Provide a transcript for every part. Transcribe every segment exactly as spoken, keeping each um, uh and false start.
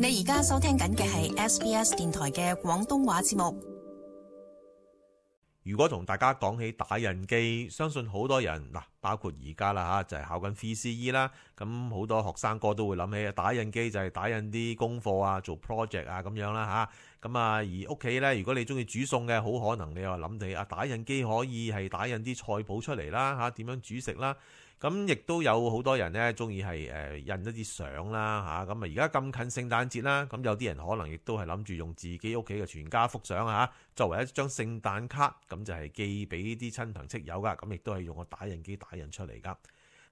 你而家收聽緊嘅係 S B S 電台嘅廣東話節目。如果同大家講起打印機，相信好多人嗱，包括而家啦吓，就係考緊 V C E 啦，咁好多學生哥都會諗起打印機就係打印啲功課啊，做 project 啊咁樣啦吓，咁啊而屋企咧，如果你中意煮餸嘅，好可能你又諗起啊打印機可以係打印啲菜譜出嚟啦吓，點樣煮食啦。咁亦都有好多人咧，中意係誒印一啲相啦嚇。咁啊，而家咁近聖誕節啦，咁有啲人可能亦都係諗住用自己屋企嘅全家福相嚇，作為一張聖誕卡，咁就係寄俾啲親朋戚友噶。咁亦都係用個打印機打印出嚟噶。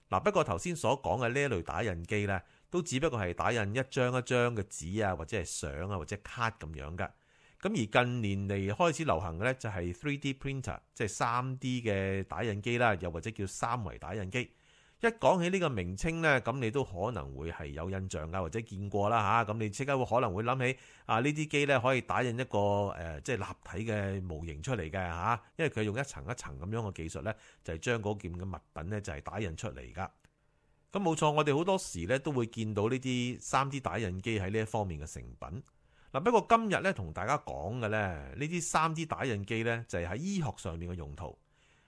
嗱，不過頭先所講嘅呢一類打印機咧，都只不過係打印一張一張嘅紙啊，或者係相啊，或者卡咁樣噶。咁而近年嚟開始流行嘅咧，就係 three D printer，即係三 D 嘅打印機啦，又或者叫三維打印機。一講起呢個名稱呢，咁你都可能會係有印象噶，或者見過啦嚇。咁你即刻會可能會諗起啊，呢啲機呢可以打印一個誒即係立體嘅模型出嚟嘅嚇，因為佢用一層一層咁樣嘅技術呢，就係將嗰件嘅物品呢就係打印出嚟噶。咁冇錯，我哋好多時呢都會見到呢啲三 D 打印機喺呢一方面嘅成品。嗱，不過今日咧同大家講嘅咧，呢啲三 D 打印機咧就係喺醫學上面嘅用途。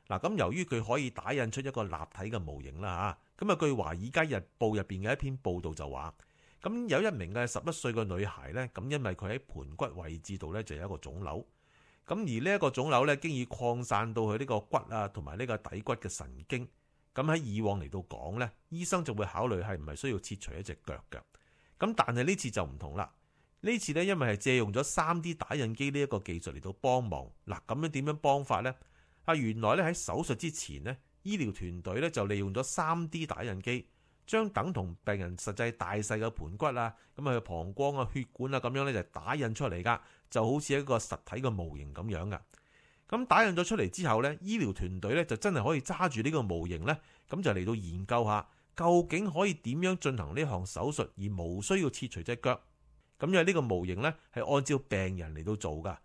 嗱，咁由於佢可以打印出一個立體嘅模型啦嚇，咁啊據《華爾街日報》入邊嘅一篇報導就話，咁有一名嘅十一歲嘅女孩咧，咁因為佢喺盤骨位置度咧就有一個腫瘤，咁而呢一個腫瘤咧經已擴散到去呢個骨啊同埋呢個底骨嘅神經，咁喺以往嚟到講咧，醫生就會考慮係唔係需要切除一隻腳嘅，咁但係呢次就唔同啦。呢次咧，因為係借用咗三 D 打印機呢一個技術嚟到幫忙。嗱，咁樣點樣幫法呢？啊，原來咧喺手術之前呢，醫療團隊咧就利用咗三 D 打印機，將等同病人實際大細嘅盤骨啊、咁啊膀胱啊、血管啊咁樣咧就打印出嚟噶，就好似一個實體嘅模型咁樣噶。咁打印咗出嚟之後咧，醫療團隊咧就真係可以揸住呢個模型咧，咁就嚟到研究下究竟可以點樣進行呢項手術而無需要切除隻腳。咁因為呢個模型呢係按照病人嚟到做噶，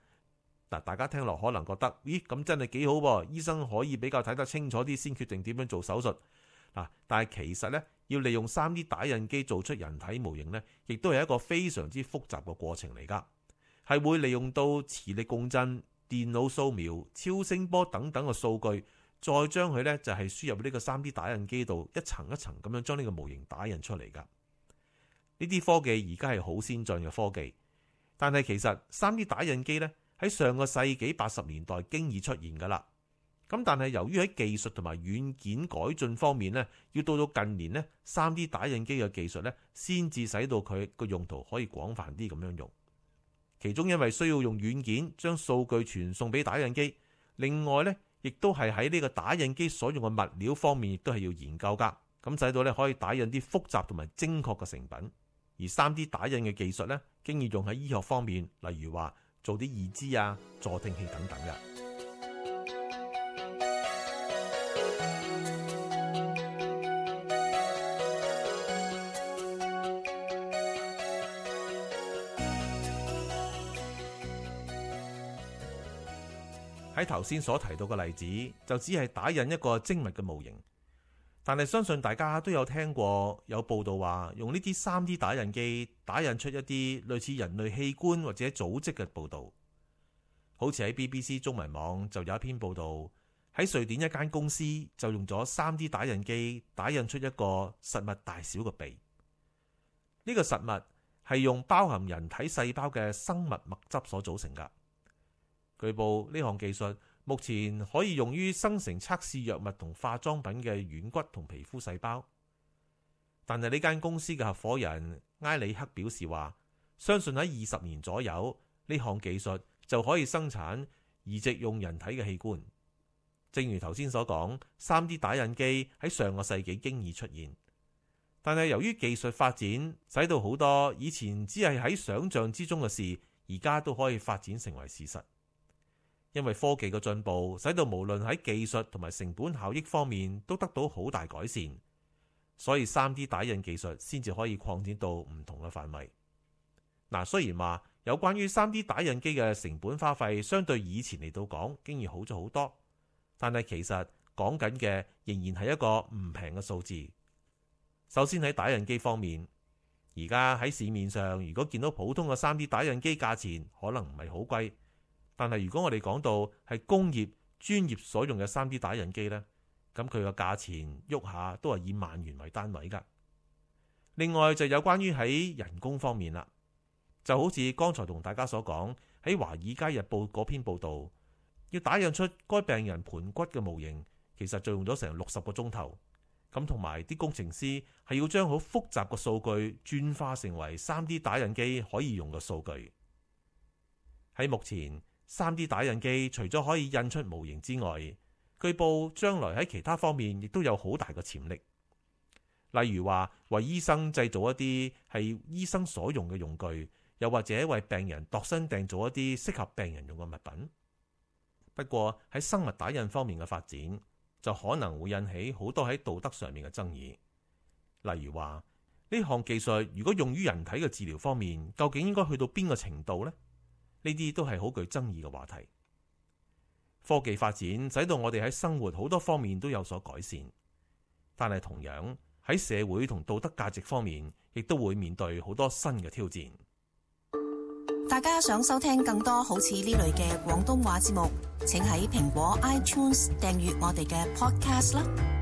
嗱，大家聽落可能覺得，咦，咁真係幾好噃，醫生可以比較睇得清楚啲先決定點樣做手術。嗱，但係其實呢，要利用三 D 打印機做出人體模型呢，亦都係一個非常之複雜嘅過程嚟噶，係會利用到磁力共振、電腦掃描、超聲波等等嘅數據，再將佢呢就係輸入呢個三 D 打印機度，一層一層咁樣將呢個模型打印出嚟噶。呢啲科技而家係好先進嘅科技，但係其實三 D 打印機呢喺上個世紀八十年代經已出現噶啦。咁但係由於喺技術同埋軟件改進方面呢，要到到近年呢，三 D 打印機嘅技術呢先至使到佢個用途可以廣泛啲咁樣用。其中因為需要用軟件將數據傳送俾打印機，另外呢亦都係喺呢個打印機所用嘅物料方面亦都係要研究噶，咁使到呢可以打印啲複雜同埋精確嘅成品。而三 D 打印嘅技術咧，經已用喺醫學方面，例如話做啲義肢啊、助聽器等等嘅。喺頭先所提到嘅例子，就只係打印一個精密嘅模型。但係相信大家都有聽過有報道話，用呢啲三 D 打印機打印出一啲類似人類器官或者組織嘅報道。好似喺 B B C 中文網就有一篇報道，喺瑞典一間公司就用咗三 D 打印機打印出一個實物大小嘅鼻。呢個實物係用包含人體細胞嘅生物物質所組成㗎。據報呢項技術目前可以用於生成測試藥物同化妝品嘅軟骨同皮膚細胞，但係呢間公司嘅合夥人埃里克表示話，相信喺二十年左右呢項技術就可以生產移植用人體嘅器官。正如頭先所講，三 D 打印機喺上個世紀經已出現，但係由於技術發展，使到好多以前只係喺想象之中嘅事，而家都可以發展成為事實。因為科技嘅進步，使到無論喺技術同埋成本效益方面都得到好大改善，所以三 D 打印技術先至可以擴展到唔同嘅範圍。嗱，雖然話有關於三 D 打印機嘅成本花費相對以前嚟到講，經已好咗好多，但係其實講緊嘅仍然係一個唔平嘅數字。首先喺打印機方面，而而家喺市面上，如果見到普通嘅 三 D 打印機價錢可能唔係好貴，但係如果我哋講到係工業專業所用嘅 三 D 打印機呢，咁佢個價錢喐下都係以萬元為單位㗎。另外就有關於喺人工方面啦，就好似剛才同大家所講喺《華爾街日報》嗰篇報導，要打印出該病人盤骨嘅模型，其實就用咗成六十個鐘頭。咁同埋啲工程師係要將好複雜嘅數據轉化成為 三 D 打印機可以用嘅數據。喺目前 三 D 打印機除咗可以印出模型之外，據報將來喺其他方面亦都有好大嘅潛力。例如話為醫生製造一啲係醫生所用嘅用具，又或者為病人度身訂造一啲適合病人用嘅物品。不過喺生物打印方面嘅發展，就可能會引起好多喺道德上面嘅爭議。例如話呢項技術如果用於人體嘅治療方面，究竟應該去到邊個程度呢？呢啲都係好具爭議嘅話題。科技發展使到我哋喺生活好多方面都有所改善，但係同樣喺社會同道德價值方面，亦都會面對好多新嘅挑戰。大家想收聽更多好似呢類嘅廣東話節目，請喺蘋果 iTunes 訂閱我哋嘅 Podcast 啦。